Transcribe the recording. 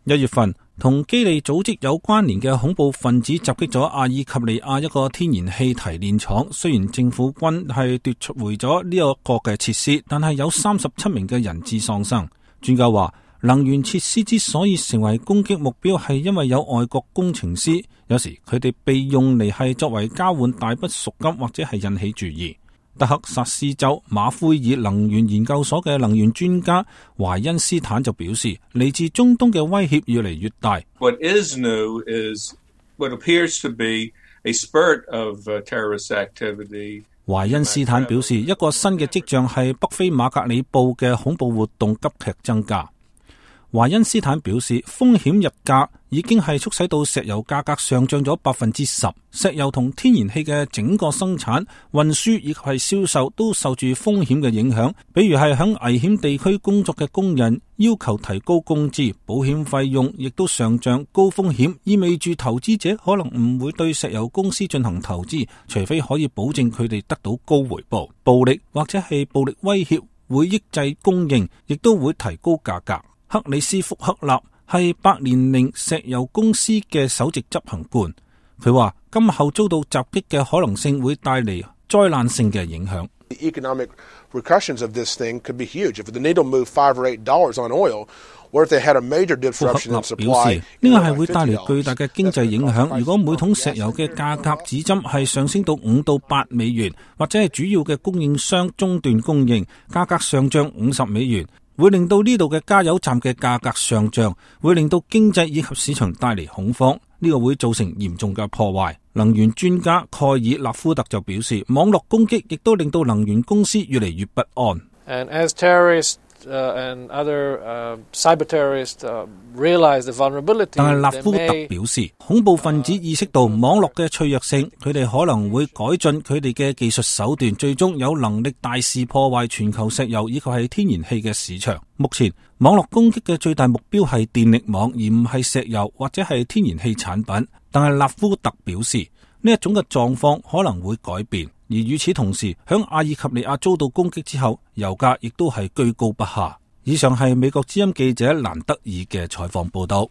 1月份，同基利組織有關聯嘅恐怖分子襲擊咗阿爾及利亞一個天然氣提煉廠。雖然政府軍係奪回咗呢一個嘅設施，但係有37名嘅人質喪生。專家話，能源設施之所以成為攻擊目標，係因為有外國工程師，有時佢哋被用嚟係作為交換大筆贖金或者係引起注意。德克薩斯州馬奎爾能源研究所嘅能源專家懷恩斯坦就表示，嚟自中東嘅威脅越嚟越大。What is new is what appears to be a spurt of terrorist activity. 懷恩斯坦表示，一個新嘅跡象係北非馬格里布嘅恐怖活動急劇增加。懷恩斯坦表示，風險日價已經係促使到石油價格上漲咗10%。石油同天然氣嘅整個生產、運輸以及係銷售都受住風險嘅影響。比如係響危險地區工作嘅工人要求提高工資，保險費用亦都上漲。高風險意味住投資者可能唔會對石油公司進行投資，除非可以保證佢哋得到高回報。暴力或者係暴力威脅會抑制供應，亦都會提高價格。克里斯福克納係百年靈石油公司嘅首席執行官，佢話今後遭到襲擊嘅可能性會帶嚟災難性嘅影響。The economic repercussions of this thing could be huge. If the needle moved $5 or $8 on oil, or if they had a major disruption in supply. 表示呢個係會帶嚟巨大嘅經濟影響。如果每桶石油嘅價格指針係上升到$5到$8，或者係主要嘅供應商中斷供應，價格上漲$50。會令到呢度嘅加油站嘅價格上漲，會令到經濟以及市場帶嚟恐慌，呢個會造成嚴重嘅破壞。能源專家蓋爾納夫特就表示，網絡攻擊亦都令到能源公司越嚟越不安。And as terrorists and other cyber terrorists realize the vulnerability， 但係納夫特表示，恐怖分子意識到網絡嘅脆弱性，佢哋可能會改進佢哋嘅技術手段，最終有能力大肆破壞全球石油以及係天然氣嘅市場。目前網絡攻擊嘅最大目標係電力網，而唔係石油或者係天然氣產品。但係納夫特表示，呢一種嘅狀況可能會改變。而與此同時，響阿爾及利亞遭到攻擊之後，油價亦都係居高不下。以上係美國之音記者蘭德爾嘅採訪報道。